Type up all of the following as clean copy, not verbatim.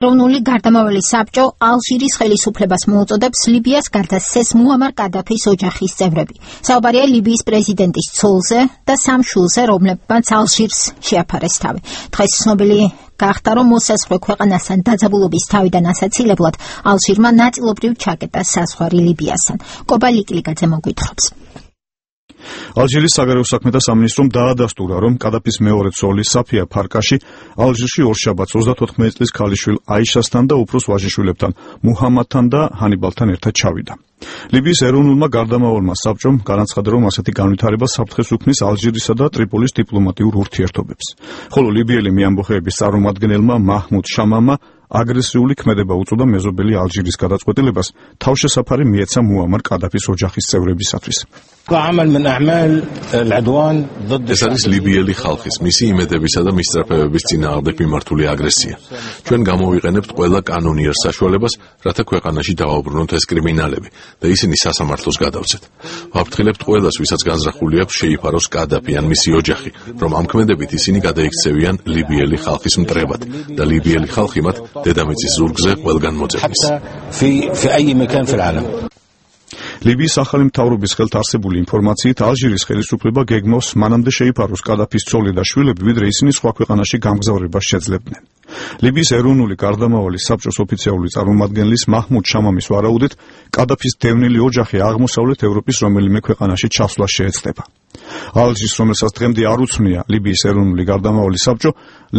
ეროვნული გარდამავალი საბჭო ალჟირის ხელისუფლებას მოუწოდებს ლიბიას გარდაცეს მუამარ კადაფის ოჯახის წევრები. საუბარია ლიბიის პრეზიდენტის ცოლზე და სამ შვილზე, რომლებმაც ალჟირს შეაფარეს თავი. დღეს ცნობილი გახდა, რომ მოსაზღვრე ქვეყანასთან დაძაბულობის თავიდან ასაცილებლად ალჟირმა ნაწილობრივ ჩაკეტა საზღვარი ლიბიასთან. კობა ლიკლიკაძე მოგვითხრობს. ალჟირის საგარეო საქმეთა სამინისტრომ დაადასტურა, რომ კადაფის მეორე ცოლი საფია ფარკაში ალჟირში ორშაბათს 34 წლის ქალიშვილ აიშასთან და უფროს ვაჟიშვილებთან მუჰამადთან და ჰანიბალთან ერთად ჩავიდა. ლიბიის ეროვნულმა გარდამავალმა საბჭომ განაცხადა, რომ ასეთი განვითარება საფრთხეს უქმნის ალჟირისა და ტრიპოლის დიპლომატიურ ურთიერთობებს. ხოლო ლიბიელი მეამბოხეების წარმომადგენელმა მაჰმუდ შამამა აგრესიული ქმედება უწოდა მეზობელი ალჟირის გადაწყვეტილებას თავშესაფარი მიეცა მუამარ კადაფის ოჯახის წევრებისათვის. ეს არის ლიბიელი ხალხის, მისი იმედებისა და მისწრაფებების წინააღმდეგ მიმართული აგრესია. ჩვენ გამოვიყენებთ ყველა კანონიერ საშუალებას, რათა ქვეყანაში დავაუბრუნოთ ეს კრიმინალები და ისინი სასამართლოს გადავცეთ. ვაფრთხილებთ ყველას, ვისაც განზრახული აქვს შეიფაროს კადაფი ან მისი ოჯახი, რომ ამ ქმედებით ისინი გადაიქცევიან ლიბიელი ხალხის მტრებად და ლიბიელი ხალხი მათ დედამიწის ზურგზე ყველგან მოძებნის. ლიბიის ახალი მთავრობის ხელთ არსებული ინფორმაციით ალჟირის ხელისუფლება გეგმავს მანამდე შეიფაროს კადაფის ცოლი და შვილები, ვიდრე ისინი სხვა ქვეყანაში გამგზავრებას შეძლებდნენ. ლიბიის ეროვნული გარდამავალი საბჭოს ოფიციალური წარმომადგენლის მაჰმუდ შამამის ვარაუდით, კადაფის დევნილი ოჯახი აღმოსავლეთ ევროპის რომელიმე ქვეყანაში ჩასვლა შეეცდება. ალჟირს, რომელსაც დღემდე არ უცნია ლიბიის ეროვნული გარდამავალი საბჭო,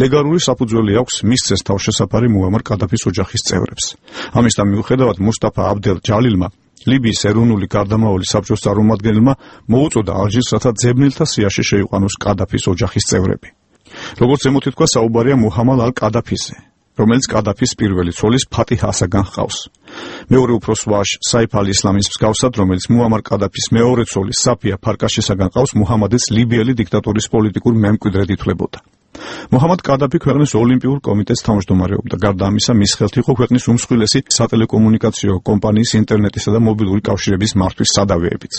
ლეგალური საფუძველი აქვს მისცეს თავშესაფარი მუამარ კადაფის ოჯახის წევრებს. ამისთან მიუხედავად მუსტაფა აბდელ ჯალილმა ლიბიის ეროვნული გარდამავალი საბჭოს წარმომადგენელმა მოუწოდა ალჟირს, რათა ძებნელთა სიაში შეიყვანოს კადაფის ოჯახის წევრები. როგორც ზემოთ ითქვა, საუბარია მუჰამად ალ-კადაფიზე, რომელიც კადაფის პირველი ცოლის ფატიჰ ასაგან ჰყავს. მეორე უფროს ვაჟ საიფ ალ-ისლამის მსგავსად, რომელიც მუამარ კადაფის მეორე ცოლის საფია ფარკაშისაგან ჰყავს, მუჰამადიც ლიბიელი დიქტატორის პოლიტიკურ მემკვიდრედ ითვლებოდა. მუჰამად კადაფი ქვეყნის ოლიმპიურ კომიტეტს თავმჯდომარეობდა. გარდა ამისა, მის ხელთ იყო ქვეყნის უმსხვილესი სატელეკომუნიკაციო კომპანიის ინტერნეტისა და მობილური კავშირების მართვის სადავეებიც.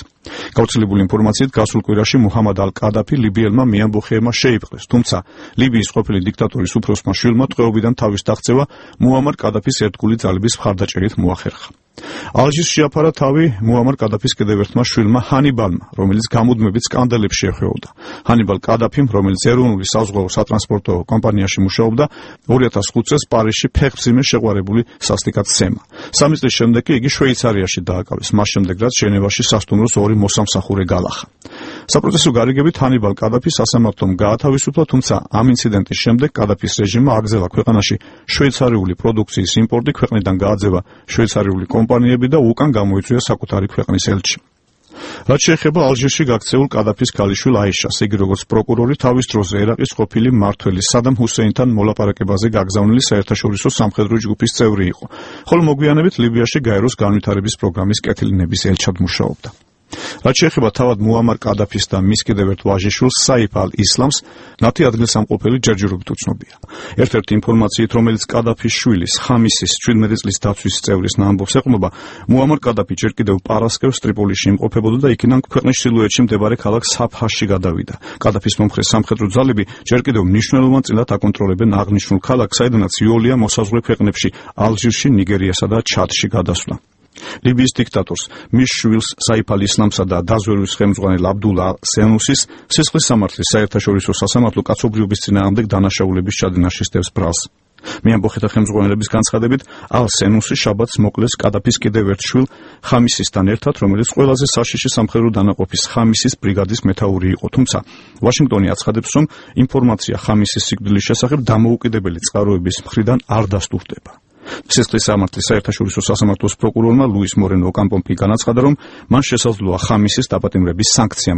გავრცელებული ინფორმაციით, გასულ კვირაში მუჰამად ალ-კადაფი ლიბიელმა მეამბოხეებმა შეიპყრეს, თუმცა ლიბიის ყოფილი დიქტატორის უფროსმა შვილმა ტყვეობიდან თავის დაღწევა მუამარ კადაფის ერთგული ძალების მხარდაჭერით მოახერხა. ალჟირს შეაფარა თავი მუამარ კადაფის კიდევ ერთმა შვილმა ჰანიბალმა, რომელიც გამუდმებით სკანდალებს შეხვეოდა. ჰანიბალ კადაფიმ, რომელიც ეროვნული საზღვაო სატრანსპორტო კომპანიაში მუშაობდა, 2005 წელს პარიზში ფეხმძიმე შეყვარებული სასტიკად სცემა. 3 წლის შემდეგ კი იგი შვეიცარიაში დააკავეს, მას შემდეგ რაც ჟენევაში სასტუმროს 2 მოსამსახურე გალახა. საპროცესო გარიგებით ჰანიბალ კადაფი სასამართლომ გაათავისუფლა, თუმცა ამ ინციდენტის შემდეგ კადაფის რეჟიმმა აგზელა ქვეყანაში შვეიცარიული პროდუქციის იმპორტი, ქვეყნიდან გააძევა შვეიცარიული კომპანიები და უკან გამოიწვია საკუთარი ქვეყნის ელჩი. რაც შეეხება ალჟირში გაქცეულ კადაფის ქალიშვილ აიშას, იგი როგორც პროკურორი თავის დროზე ერაყის ყოფილი მმართველის სადამ ჰუსეინთან მოლაპარაკებაზე გაგზავნილი საერთაშორისო სამხედრო ჯგუფის წევრი იყო, ხოლო მოგვიანებით ლიბიაში გაეროს განვითარების პროგრამის კეთილინების ელჩად მუშაობდა. რაც შეეხება თავად მუამარ კადაფის და მის კიდევ ერთ ვაჟიშვილს საიფ ალ-ისლამს, მათი ადგილსამყოფელი ჯერჯერობით უცნობია. ერთ-ერთი ინფორმაციით, რომელიც კადაფის შვილის ხამისის 17 წლის დაცვის წევრის ამბობს ეყრდნობა, მუამარ კადაფი ჯერ კიდევ პარასკევს ტრიპოლიში იმყოფებოდა და იქიდან ქვეყნის ჩრდილოეთში მდებარე ქალაქ საფჰაში გადავიდა. კადაფის მომხრე სამხედრო ძალები ჯერ კიდევ მნიშვნელოვანწილად აკონტროლებენ აღნიშნულ ქალაქს, საიდანაც იოლია მოსაზღვრე ქვეყნებში ალჟირში, ნიგერიასა და ჩადში გადასვლა. ლიბიის დიქტატორს, მის შვილს საიფ ალ-ისლამსა და დაზვერვის ხელმძღვანელ აბდულა სენუსის სისხლის სამართლის საერთაშორისო სასამართლო კაცობრიობის წინააღმდეგ დანაშაულების ჩადენაში სდევს ბრალს. მეამბოხეთა ხელმძღვანელების განცხადებით, ალ-სენუსი შაბათს მოკლეს კადაფის კიდევ ერთ შვილ ხამისისთან ერთად, რომელიც ყველაზე საშიში სამხედრო დანაყოფის ხამისის ბრიგადის მეთაური იყო, თუმცა ვაშინგტონი აცხადებს, რომ ინფორმაცია ხამისის სიკვდილის შესახებ დამოუკიდებელი წყაროების მხრიდან არ დასტურდება. სისხლის სამართლის საერთაშორისო სასამართლოს პროკურორმა ლუის მორენო ოკამპომპი განაცხადა, რომ მან შესაძლოა ხამისის დაპატიმრების სანქცია